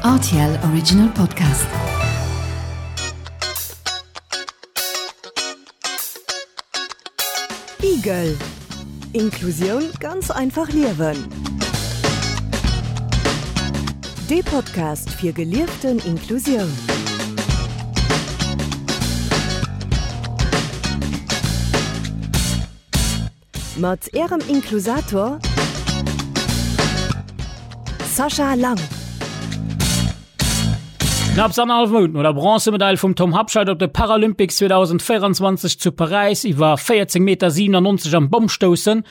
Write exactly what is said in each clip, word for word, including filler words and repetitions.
R T L Original Podcast. Igel. Inklusioun ganz einfach liewen. De Podcast fir gelieften Inklusioun. Mat Ärem Inklusator Sascha Lang. Knapps annerhallef Mount no der Bronzemedail vum Tom Habscheid op de Paralympics zweedausendvéierenzwanzeg zu Paräis iwwer véierzéng Meter siewenannonzeg am Bommstoussen,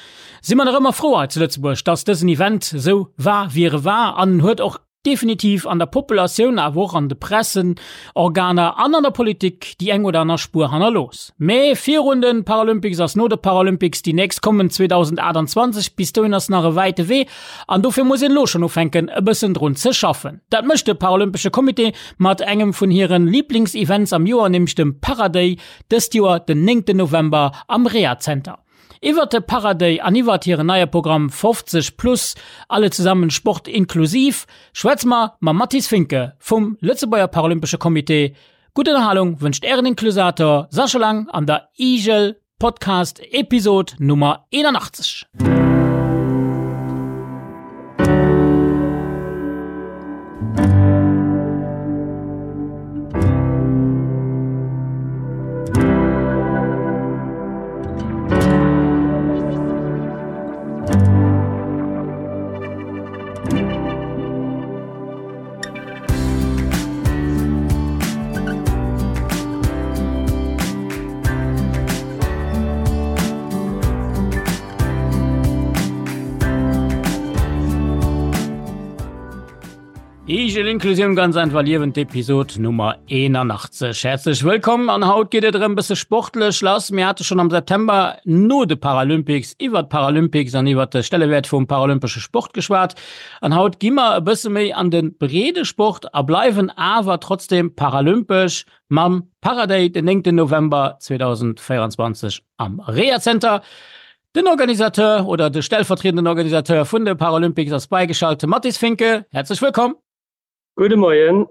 si mer nach ëmmer frou hei zu Lëtzebuerg, dass dësen Event esou war, wéi e war an en huet och definitiv an der Populatioun, awer och an de Pressenorganer an an der Politik déi eng oder aner Spuer hannerlooss. Mee virun de Paralympics ass no de Paralympics, déi nächst kommen zweedausendachtundzwanzeg, bis dohin ass nach e wäite Wee an dofir muss een elo schonn ufänken e bëssen drun ze schaffen. Dat mécht de Paralympesche Comité mat engem vun hiren Liblingsevents am Joer, nämlech dem Paraday, dëst Joer den néngten November am Rehazenter. Iwwert de Paraday an iwwert hiren neie Programm fofzeg plus, alle zusammen Sport inklusiv, schwätze mer mam Mathis Finke vum Lëtzebuerger Paralympesche Comité. Gutt Ënnerhalung wënscht Ären Inklusator Sascha Lang an der Igel Podcast Episod Nummer eenanachtzeg. Igel Inklusioun ganz einfach liewen, d'Episod Nummer eenanachtzeg. Häerzlech wëllkomm an haut geet et erëm bësse sportlech lass. Mir hate schonn am September no de Paralympics iwwert d'Paralympics an iwwert de Stellewäert vum paralympesche Sport geschwat. An haut gi mer e bësse méi an de breede Sport a bleiwen awer trotzdem paralympesch mam Paraday den néngten November zweedausendvéierenzwanzeg am Rehazenter. Den Organisateur oder de stellvertriedenden Organisateur vun de Paralympics ass beigeschalt, de Mathis Finke. Häerzlech wëllkomm! Gudde Moien.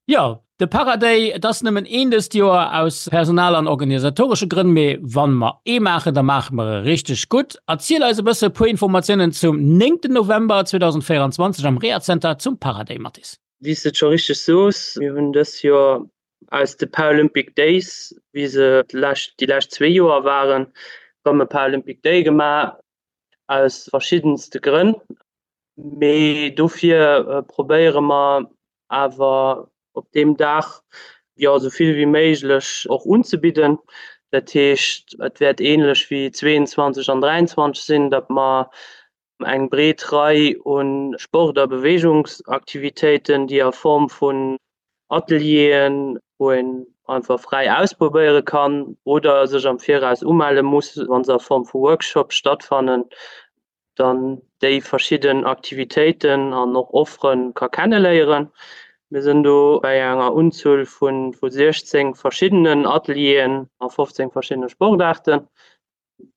Jo, de Paraday, et ass nëmmen een dëst Joer aus personal an organisatoresche Grënn, mee wann mer ee maachen, da maache mer e richteg gutt. Erziel eis e bësse e puer Informatiounen zum néngten November zweedausendvéierenzwanzeg am Rehazenter zum Paraday, Mathis. Wéi s de et scho richteg soos, mir hunn dës Joer aus de Paralympic Days, wéi se d'lescht, déi lescht zwee Joer waren, erëm e Paralympic Day gemaach, aus verschiddenste Grënn. Mee dofir probéiere mer awer op deem Dag jo esou vill wéi méiglech och unzebidden. Dat heescht, et wäert änlech wéi zweeënzwanzeg an dräiënzwanzeg sinn, datt mer eng breet Rei u Sport a Beweegungsaktivitéiten, déi a Form vun Atelieren, wou een einfach fräi ausprobéiere kann oder sech am Viraus umelle muss, wa se a Form vu Workshops stattfannen, dann déi verschidden Aktivitéiten an och Offere ka kenneléieren. Mir sinn do bei enger Unzuel vu siechzéng verschiddenen Atelieren a fofzéng verschiddene Sportaarten,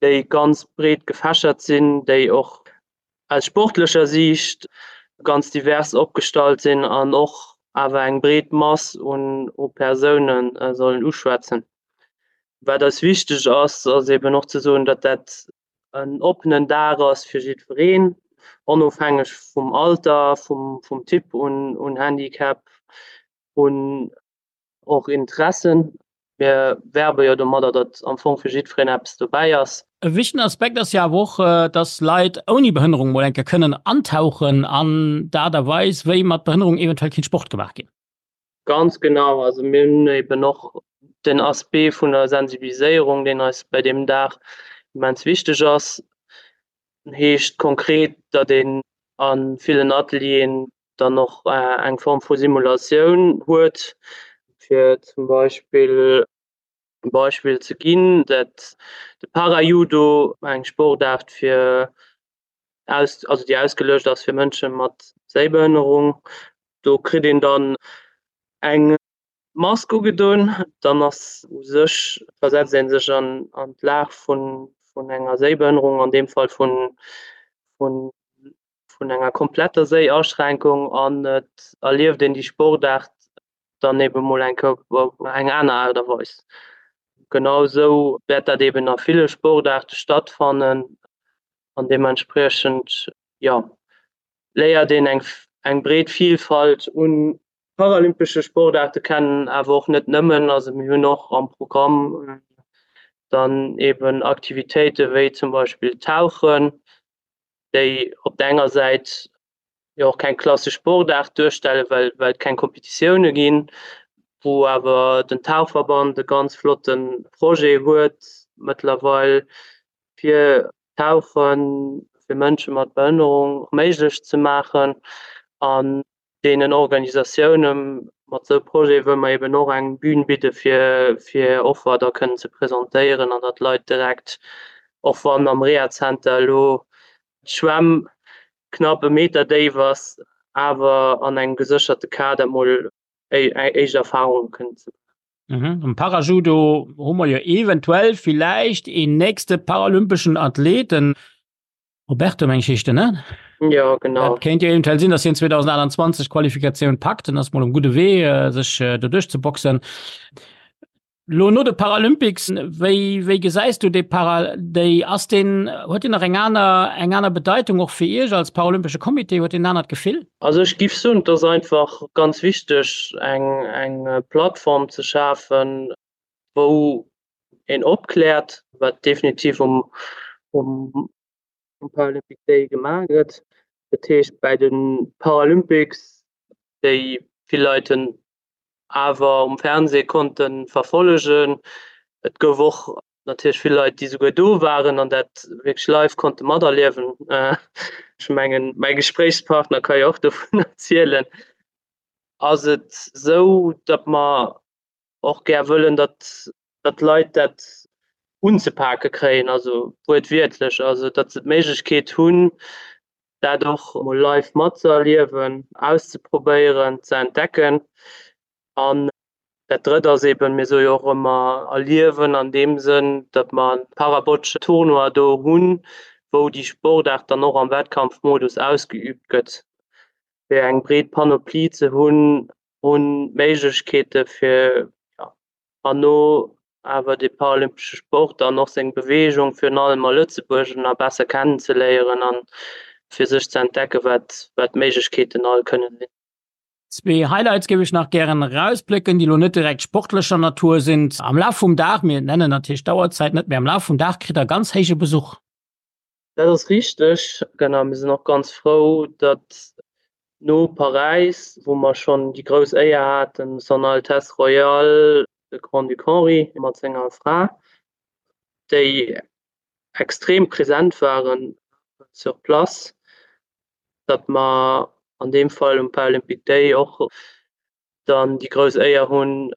déi ganz breet gefächert sinn, déi och aus sportlecher Siicht ganz divers opgestallt sinn an och awer eng breet Mass un Persoune sollen uschwätzen. Wat eis wichteg ass, ass eben och ze soen, datt dat en oppenen Dag ass fir jiddwereen, onofhängeg vum Alter, vum Typ un Handicap, un och Interessen. Mir werbe jo domadder, datt am Fong fir jiddwereen eppes dobäi ass. E wichtegen Aspekt ass jo awer och, datt Leit ouni Behënnerung mol eng Kéier kënnen antauchen an d'Aart a Weis, wéi mat Behënnerung eventuell kéint Sport gemaach ginn. Ganz genau. Also mir hunn eben och den Aspect vun der Sensibiliséierung, deen eis bei deem Dag immens wichteg ass. Heescht konkret, datt een a villen Atelieren dann och eng Form vu Simulatioun huet, fir zum Beispill e Beispill ze ginn, dat de Parajudo, eng Sportaart fir aus, also déi ausgeluecht ass fir Mënsche mat Séibehënnerung, do kritt een dann eng Mask ugedon, dann ass u sech, versetzt ee sech an an d'Lag vun vun enger Séibehënnerung, an deem Fall vun vun vun enger kompletter Séiaschränkung an et erlieft een déi Sportaart dann ebe mol eng Kéier op eng aner Aart a Weis. Genau esou wäert dat eben a ville Sportaarte stattfannen an deementspriechend, jo, léiert een eng eng breet Vielfalt un paralympesche Sportaarte kennen, awer och net nëmmen. Also mir hunn och am Programm dann eben Aktivitéite wéi zum Beispill Tauchen, déi op der enger Säit jo och keng klassesch Sportaart duerstellen, well well et keng Kompetitioune ginn, wou awer den Tauchverband e ganz flotte Projet huet mëttlerweil, fir Tauche fir Mënsche mat Behënnerung méiglech ze maachen. An deenen Organisatioune mat esou Projete wëlle mer eben och eng Bühn bidde fir fir Offer da kënnen ze presentéieren an datt d'Leit direkt, och wann am Rehazenter elo d'Schwämm knapp e Meter déif ass, awer an engem gesécherte Kader mol éischt Erfarunge kënnen ze maachen. Am Parajudo hu mer jo eventuell villäicht een nächste paralympeschen Athlet, den Roberto, meng ech heescht en, ne? Jo, genau. Dat kéint jo eventuell sinn, datt hien zweedausendaachtanzwanzeg d'Qualifikatioun packt. En ass mol um gudde Wee, sech do duerchzeboxen. Lo no de Paralympics, wéi, wéi gesäis du dee Para, déi, ass deen, huet deen nach eng aner, eng aner Bedeitung och fir Iech als paralympesche Comité, huet deen en anert Gefill? Also ech giff soen, et ass einfach ganz wichteg eng, eng Plattform ze schafen, wou een opkläert, wat definitiv um, um Paralympic Day gemaach gëtt. Dat heescht bäi de Paralympics, déi vill Leit hunn awer um Fernseh konnte verfollegen. Et gouf och natierlech vill Leit, déi souguer do waren an dat wierklech live konnte materliewen. Ech mengen, mäi Gespréichspartner ka jo och dovun erzielen. Ass et esou, datt mer och gär wëllen, datt datt d'Leit dat unzepake kréien, also wuertwiertlech, also datt se d'Méiglechkeet hunn, dat och mol live matzëerliewen, auszeprobéieren, ze entdecken. An dat Drëtt ass eben, mir soe jo och ëmmer erliewen an deem Sënn, datt mer e Parabocce-Tournoi do hunn, wou déi Sportaart dann och am Wettkampfmodus ausgeüübt gëtt, fir eng breet Panoplie ze hunn u Méiglechkeete fir, jo, herno awer de paralympesche Sport an och seng Beweegung virun allem a Lëtzebuerg nach besser kennenzeléieren an fir sech ze entdecken, wat wat d'Méiglechkeeten all kënnen sinn. Zwee Highlights géif ech nach gären erausplécken, déi elo net direkt sportlecher Natur sinn. Am Laf vum Dag, mir nennen natierlech d'Auerzäit net, mee am Laf vum Dag kritt Der ganz héije Besuch. Dat ass richteg, genau. Mir sinn och ganz frou, datt no Paräis, wou mer schonn déi grouss Éier haten, Son Altesse Royale de Grand-Duc Henri mat senger Fra, déi extrem present waren sur place, datt mer an deem Fall um Paralympic Day och dann déi grouss Éier hunn,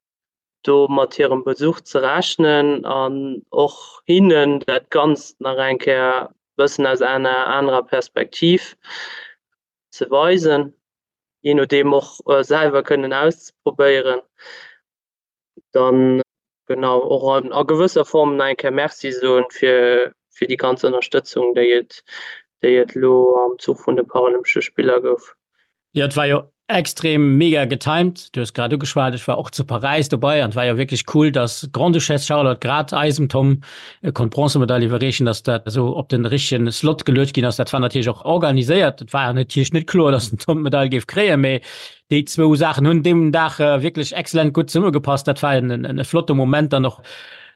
do mat hirem Besuch ze rechnen an och hinnen dat Ganzt nach eng Kéier e bëssen aus enger anerer Perspektiv ze weisen, jee nodeem och selwer kënnen auszeprobéieren. Dann genau och an a gewësser Form nach eng Kéier Merci soen fir fir déi ganz Ënnerstëtzung, déi et déi et elo am Zuch vun de Paralympesche Spiller gouf. Jo, et war jo extrem mega getimed. Du hues grad ugeschwat, ech war och zu Paräis dobei an et war jo wierklech cool, dass d'Grande-Duchesse Charlotte grad eisem Tom konnt d'Bronzemedail iwwerreechen, dass dat esou op den richtegen Slot geluecht ginn ass. Dat war natierlech och organiséiert. Et war natierlech net kloer, dass den Tom d'Medail géif kréien, mee déi zwou Saachen hunn deem Dag wierklech excellent gutt zesummegepasst. Dat war en e flotte Moment dann och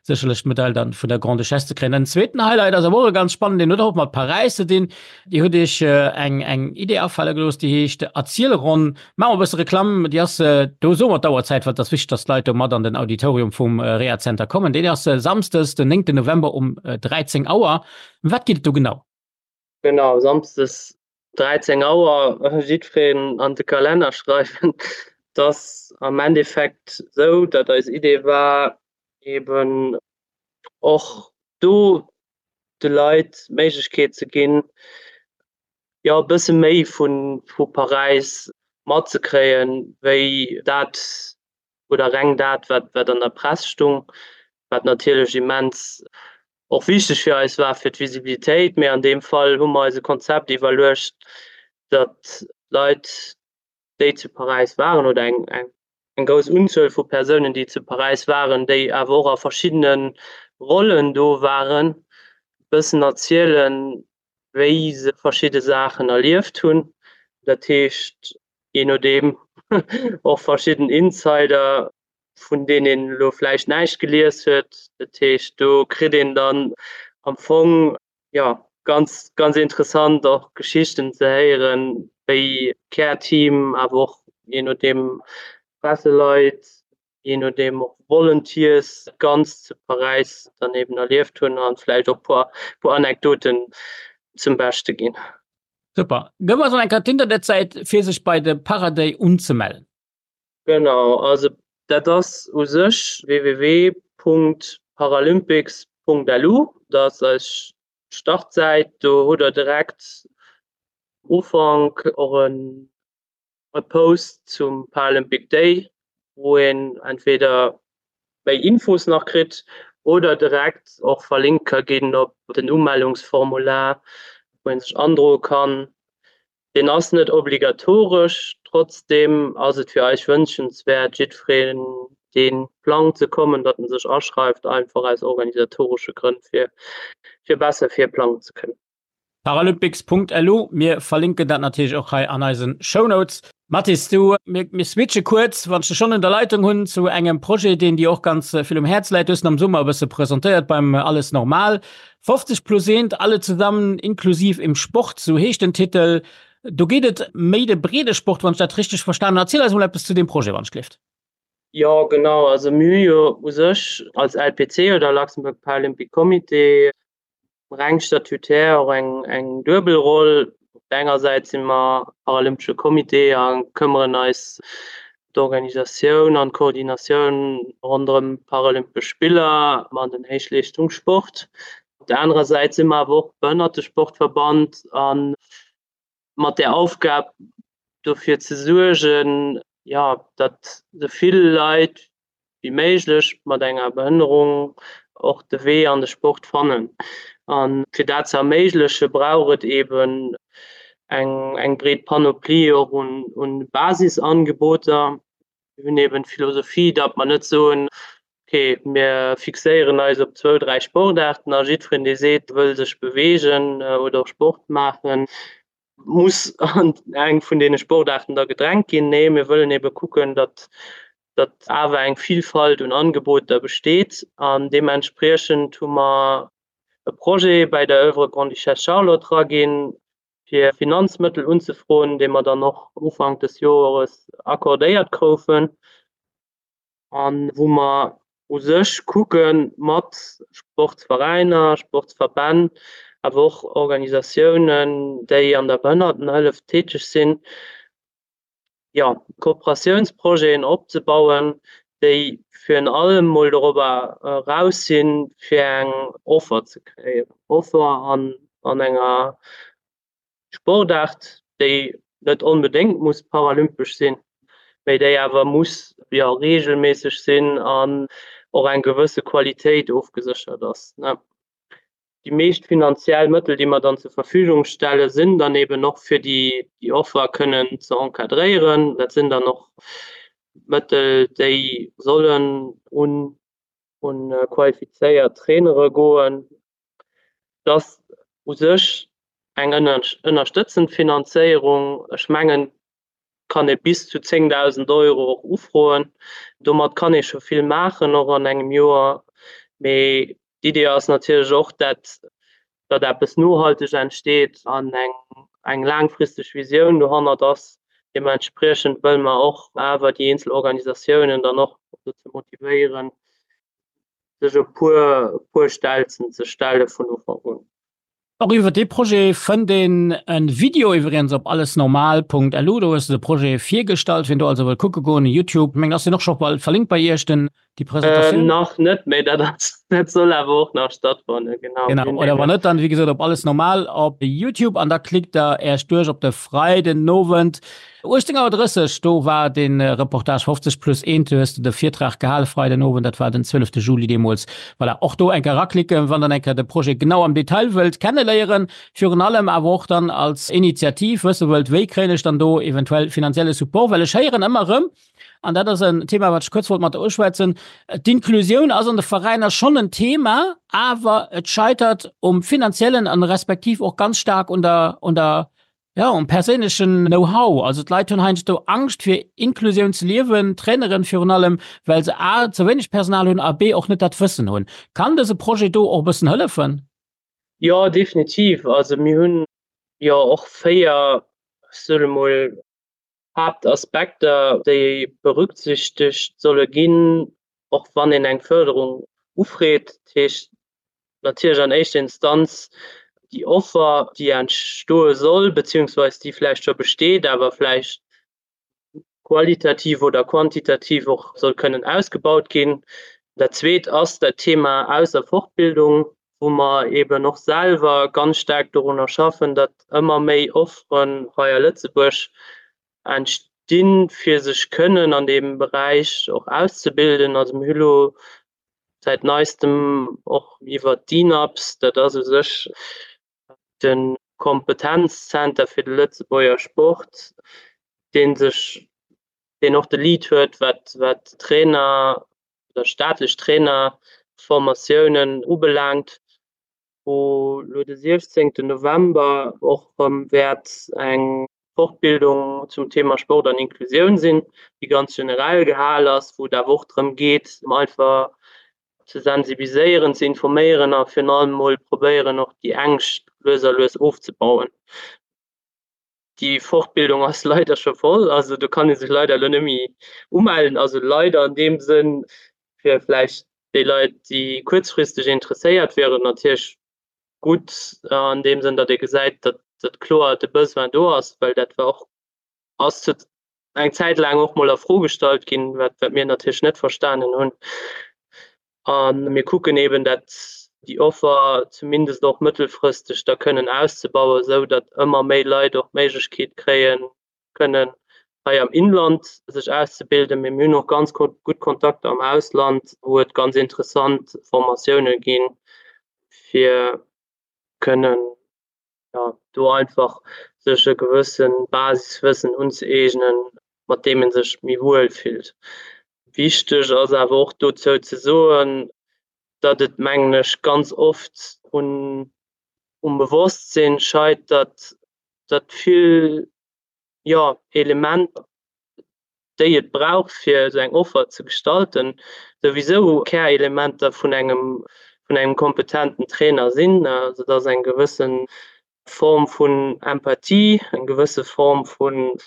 sécherlech d'Medail dann vun der Grande-Duchesse ze kréien. Den zweeten Highlight ass awer och e ganz spannenden, deen huet och mat Paräis ze dinn. Dir hutt Iech eng eng Idee afale gelooss, déi heescht Erzielronn. Maache mer e bësse Reklamm, déi ass, do soe mer d'Auerzäit, well et ass wichteg, dass d'Leit do mat an den Auditorium vum Rehazenter kommen. Deen ass samsdes den néngten November um dräizéng Auer. Ëm wat geet et do genau? Genau, samsdes dräizéng Auer, jiddwereen an de Kalenner schreiwen. Et ass am Endeffekt esou, datt eis Idee war, eben och do de Leit d'Méiglechkeet ze ginn, jo e bësse méi vu vu Paräis matzekréien, wéi dat oder reng dat, wat wat an der Press stung, wat natierlech immens och wichteg fir eis war, fir d'Visibilitéit. Mee an deem Fall hu mer eis e Konzept iwwerluecht, datt Leit, déi zu Paräis waren, oder eng, eng, eng grouss Unzuel vu Persounen, déi zu Paräis waren, déi awer och a verschiddene Rollen do waren, bëssen erzielen, wéi se verschidde Saachen erlieft hunn. Dat heescht, jee nodeem och verschidden Insider, vun deenen een elo vläicht näischt gelies huet. Dat heescht, do kritt een dann am Fong, jo, ganz, ganz interessant och Geschichten ze héieren, wéi Care-Team, awer och jee nodeem Presseleit, jee nodeem och Volunteers dat Ganzt zu Paräis dann eben erlieft hunn a vläicht och puer, puer Anekdoten zum Beschte ginn. Super. Gëff eis nach eng Kéier d'Internetsäit, fir sech bei de Paraday unzemellen. Genau, also dat ass u sech www Punkt paralympics Punkt lu, dat ass eis Startsäit. Do hutt der direkt Ufank och en e Post zum Paralympic Day, wou een entweder méi Infos nach kritt oder direkt och verlinkt ka ginn op den Umellungsformular, wou een sech androe kann. Deen ass net obligatoresch, trotzdeem ass et fir eis wënschenswäert, jiddwereen, dee plangt ze kommen, datt en sech aschreift, einfach aus organisatoresche Grënn, fir fir besser virplangen ze kënnen. Paralympics.lu, mir verlinken dat natierlech och hei an eisen Shownotes. Mathis, du, mir, mir switche kuerz, wann ech dech schonn un der Leitung hunn, zu engem Projet, deen dir och ganz vill um Häerz läit. Du hues en am Summer e bësse presentéiert beim Alles Normal. fofzeg plus eent, alle zusammen, inklusiv im Sport, sou heescht den Titel. Do geet et méi de Breedesport, wann ech dat richteg verstanen hunn. Erziel eis emol eppes zu deem Projet, wann ech gleeft. Jo, genau. Also mir hu jo u sech als L P C oder Luxembourg Paralympic Comité reng statutär och eng, eng duebel Roll. Op der enger Säit si mer Paralympesche Comité a këmmeren eis d'Organisatioun an d'Koordinatioun ronderëm d'Paralympesch Spiller an den Héichleeschtungssport. Op der anerer Säit si mer awer och Behënnertesportverband a mat der Aufgab dofir ze suergen, jo, datt esou vill Leit wéi méiglech mat enger Behënnerung och de Wee an de Sport fannen. A fir dat ze erméigleche brauch et eben eng, eng breet Panoplie och un, un Basisangeboter. Mir hunn eben d'Philosophie, datt mer net soen, okay, mir fixéieren eis op zwou, dräi Sportaarten a jiddwereen, dee seet, wëll sech beweegen oder och Sport maachen, muss an eng vun deene Sportaarten da gedrängt ginn. Nee, mir wëllen ebe kucken, datt datt awer eng Vielfalt un Angeboter besteet. An deementspriechend hu mer e Projet bei der Oeuvre Grande-Duchesse Charlotte eraginn, fir Finanzmëttel unzefroen, dee mer dann och Ufank des Joeres accordéiert kroufen a wou mer u sech kucke mat Sportsveräiner, Sportsverbänn, awer och Organisatiounen, déi an der Behënnertenhëllef täteg sinn, jo, Kooperatiounsprojeten opzebauen, déi virun allem mol dorobber eraus sinn, fir eng Offer ze kreéieren, Offer an an enger Sportaart, déi net onbedéngt muss paralympesch sinn, mee déi awer muss, jo, reegelméisseg sinn an och eng gewësse Qualitéit ofgeséchert ass. Déi meescht finanziell Mëttel, déi mer dann zur Verfügung stellen, sinn dann eben och fir déi déi Offer kënnen ze encadréieren. Dat sinn dann och Mëttel, déi sollen un un qualifizéiert Trainere goen. Et ass u sech eng ënnerstëtzend Finanzéierung. Ech mengen, kann ee bis zu zéngdausend Euro och ufroen. Domat kann ee scho vill maachen, och an engem Joer. Mee d'Idee ass natierlech och, dat datt eppes nohalteg entsteet an eng eng laangfristeg Visioun dohannert ass. Deementspriechend wëlle mer och awer déi eenzel Organisatiounen dann och dozou motivéieren, sech e puer puer Stelzen ze stelle vun Ufank un. Och iwwer dee Projet fënnt een e Video iwwregens op allesnormal Punkt L U. Do hues de de Projet virgestallt. Wien do also wëll kucke goen, YouTube, meng ass deen och scho bal verlinkt bei iech, den, déi Presentatioun? Nach net, mee dat ass Dat soll awer och nach stattfannen, genau. Genau, oder wann net, dann wéi gesot op Alles Normal op Youtube an da klickt der Äech duerch op de Freidenowend uechtzéng Auer drësseg, do war de Reportage fofzeg plus eent, do hues de de Virtrag gehale Freidenowend, dat war den zwielefte Juli deemools. Voilà, och do eng Kéier raklicken, wann der eng Kéier de Projet genau am Detail wëllt kenneléieren, virun allem awer och dann als Initiativ wësse wëllt, wéi kréien ech dann do eventuell finanzielle Support, well ech héieren ëmmer erëm, an dat ass en Thema, wat ech kuerz wollt mat der uschwätzen, d'Inklusioun ass an de Veräiner schonn en Thema, awer et scheitert um finanziellen an respektiv och ganz staark un der, un der, jo, um perséinlechen Know-how. Also d'Leit hunn heiansdo Angscht fir Inklusioun ze liewen, d'Traineren virun allem, well se a ze wéineg Personal hunn a b och net dat Wëssen hunn. Kann dëse Projet do och e bëssen hëllefen? Jo, definitiv. Also mir hunn jo och véier, ech soe mol, Haaptaspekter, déi berücksichtegt solle ginn, och wann een eng Förderung ufreet. Dat heescht natierlech an éischter Instanz déi Offer, déi entstoe soll, beziehungsweis déi vläicht scho besteet, awer vläicht qualitativ oder quantitativ och soll kënnen ausgebaut ginn. Dat Zweet ass dat Thema Aus a Fortbildung, wou mer eeben och selwer ganz staark dorunner schaffen, datt ëmmer méi Offeren hei a Lëtzebuerg entstinn, fir sech kënnen an deem Beräich och auszebilden. Also mir hu lo säit Neistem och iwwert d'INAPS, dat ass u sech de Kompetenzzenter fir de Lëtzebuerger Sport, dee sech, deen och de Lead huet, wat wat Trainer oder staatlech Trainerformatiounen ubelaangt, wou lo de siechzéngten November och erëm wäert eng Fortbildung zum Thema Sport an Inklusioun sinn, déi ganz generell gehal ass, wou et awer och drëm geet, einfach ze sensibiliséieren, ze informéieren a virun allem mol probéieren, och déi Ängscht lues a lues ofzebauen. Déi Fortbildung ass leider scho voll, also do kann ee sech leider elo net méi umellen. Also leider an deem Sënn fir vläicht déi Leit, déi kuerzfristeg interesséiert wieren, natierlech gutt an deem Sënn, datt ee gesäit, datt datt kloer de Besoin do ass, well dat war och, ass zu eng Zäit laang och mol a Fro gestallt ginn, wat wat mir natierlech net verstanen hunn. A mir kucken eben, dat déi Offer zumindest och mëttelfristeg da kënnen auszebauen, esou datt ëmmer méi Leit och d'Méiglechkeet kréien, kënnen hei am Inland sech auszebilden. Mee mir hunn och ganz gutt Kontakter am Ausland, wou et ganz interessant Formatioune ginn, fir kënnen, jo, do einfach sech e gewësse Basiswëssen unzëeegnen, mat deem ee sech méi wuel fillt. Wichteg ass awer och dozou ze soen, datt et, mengen ech, ganz oft un um Bewosstsinn scheitert, datt vill, jo, Elementer, déi et brauch, fir esou eng Offer ze gestalten, souwisou Kärelementer vun engem, vun engem kompetenten Trainer sinn. Also et ass eng gewësse Form vun Empathie, eng gewësse Form vun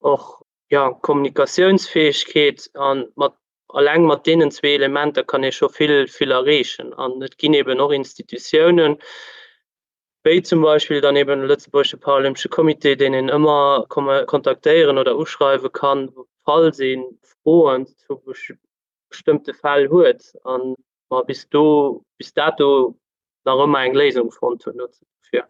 och, jo, Kommunikatiounsfäegkeet. A mat, alleng mat deenen zwee Elementer kann ee scho vill, vill erreechen. An et ginn eben och Institutiounen, wéi zum Beispill dann eben de Lëtzebuergesche Paralympesche Comité, deen een ëmmer kontaktéieren oder uschreiwe kann, falls ee Froen zu bestëmmte Fäll huet a mer bis do, bis dato nach ëmmer eng Léisung fonnt hunn dofir.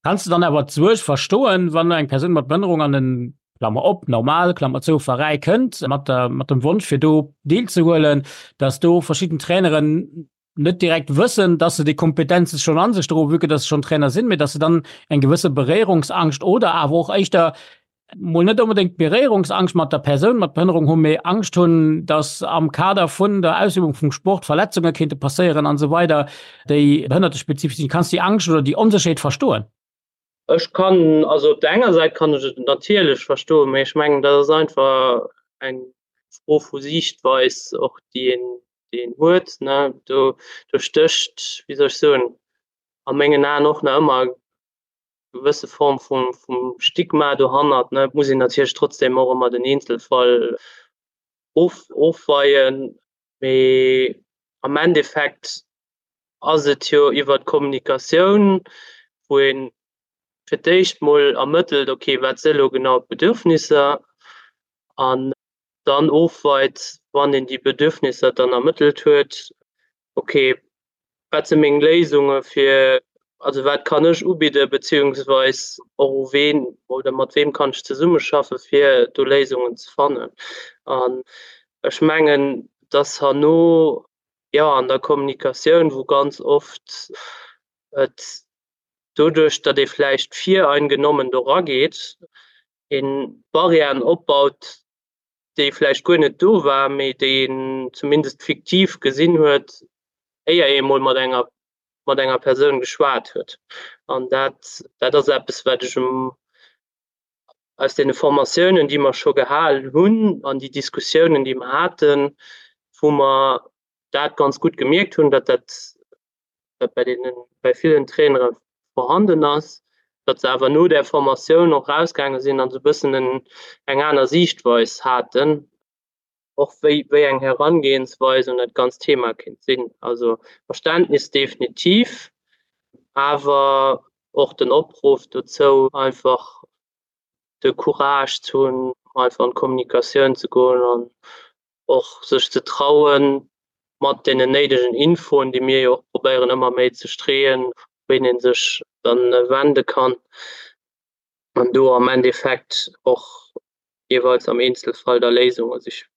Kanns de dann awer d'Suerg verstoen, wann eng Persoun mat Behënnerung an en, Klammer op, normal, Klammer zou, Veräi kënnt, mat der, mat dem Wonsch fir do deelzehuelen, dass do verschidden Traineren net direkt wëssen, dass se déi Kompetenze schonn a sech droen, vue que dass se schonn Trainer sinn, mee dass se dann eng gewësse Beréierungsangscht oder awer och éischter mol net onbedéngt Beréierungsangscht mat der Persoun mat Behënnerung hunn, mee Angscht hunn, dass am Kader vun der Ausübung vum Sport Verletzunge kéinte passéieren an esou weider, déi behënnertespezifesch sinn. Kanns de déi Angscht oder déi Onsécherheet verstoen? Ech kann, also op der enger Säit kann ech et natierlech verstoen, mee ech mengen, dat ass einfach eng Fro vu Siichtweis och, déi een, déi een huet, ne. Do, do stécht, wéi soll ech soen, a mengen Aen och nach ëmmer e gewësse Form vum, vum Stigma dohannert, ne. Et muss een natierlech trotzdem och ëmmer den Eenzelfall of, ofweien, mee am Endeffekt ass et jo iwwer d'Kommunikatioun, wou ee fir d'éischt mol ermëttelt, okay, wat si elo genau d'Bedürfnisser an dann ofweit, wann een déi Bedürfnisser dann ermëttelt huet, okay, Wat si meng Léisunge fir, also wat kann ech ubidde beziehungsweis och u ween oder mat weem kann ech zesummeschaffe fir do Léisungen ze fannen. An ech mengen, dass herno, jo, an der Kommunikatioun, wou ganz oft et doduerch, datt ee vläicht vireingenommen do rageet, ee Barrièren opbaut, déi vläicht guer net do war, mee déi een zumindest fiktiv gesinn huet, éier ee mol mat enger mat enger Persoun geschwat huet. An dat dat ass eppes, wat ech um aus deene Formatiounen, déi mer scho gehalen hunn an déi Diskussiounen, déi mer haten, wou mer dat ganz gutt gemierkt hunn, datt dat dat bei deenen, bei villen Trainere vorhanden ass, datt se awer no där Formatioun och rausgaange sinn an esou e bëssen en, eng aner Siichtweis haten, och wéi, wéi eng Herangehensweis un dat ganzt Thema kéint sinn. Also Verständnis definitiv, awer och den Opruff dozou, einfach de Courage ze hunn, einfach an d'Kommunikatioun ze goen an och sech ze trauen, mat deenen néidegen Infoen, déi mir jo och probéieren ëmmer méi ze streeën, wéin ee sech dann wende kann an do am Endeffekt och jeeweils am Eenzelfall da Léisunge sichen.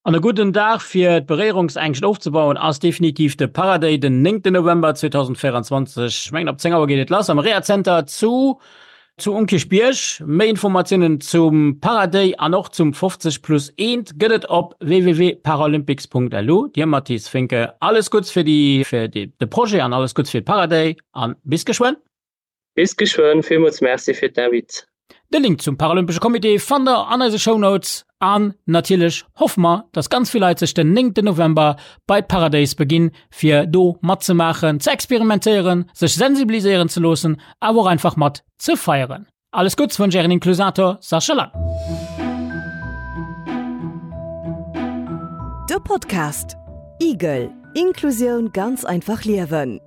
An e gudden Dag fir d'Beréierungsängscht ofzebauen ass definitiv de Paraday den néngten November zweedausendvéierundzwanzeg. Ech mengen ab zéng Auer geet et lass am Rehazenter zu zu um Kierchbierg. Méi Informatiounen zum Paraday an och zum fofzeg plus eent gëtt et op www.paralympics.lu. Dir Mathis Finke, alles Gutts fir déi fir de Projet an alles Gutts fir Paraday an bis geschwënn. Bis geschwënn, villmools Merci fir d'Invite. De Link zum Paralympesche Comité fannt der an eise Shownotes. An natierlech hoffe mer, dass ganz vill Leit sech den néngten November bei d'Paradays beginn, fir do matzemaachen, ze experimentéieren, sech sensibiliséieren ze loossen, awer och einfach mat ze feieren. Alles Gutts wënscht Ären Inklusator Sascha Lang. De Podcast Igel, Inklusioun ganz einfach liewen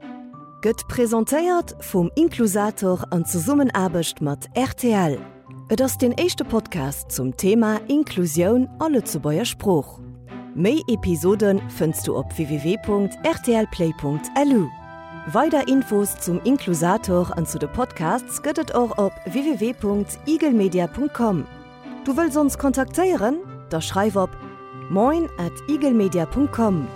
gëtt presentéiert vum Inklusator an Zesummenaarbecht mat rtl. Et ass deen éischte Podcast zum Thema Inklusioun a Lëtzebuerger Sprooch. Méi Episode fënns du op www.rtlplay.lu. Weider Infos zum Inklusator an zu de Podcasts gëtt et och op www.igelmedia.com. Du wëlls ons kontaktéieren? Da schreif op moin at igelmedia.com.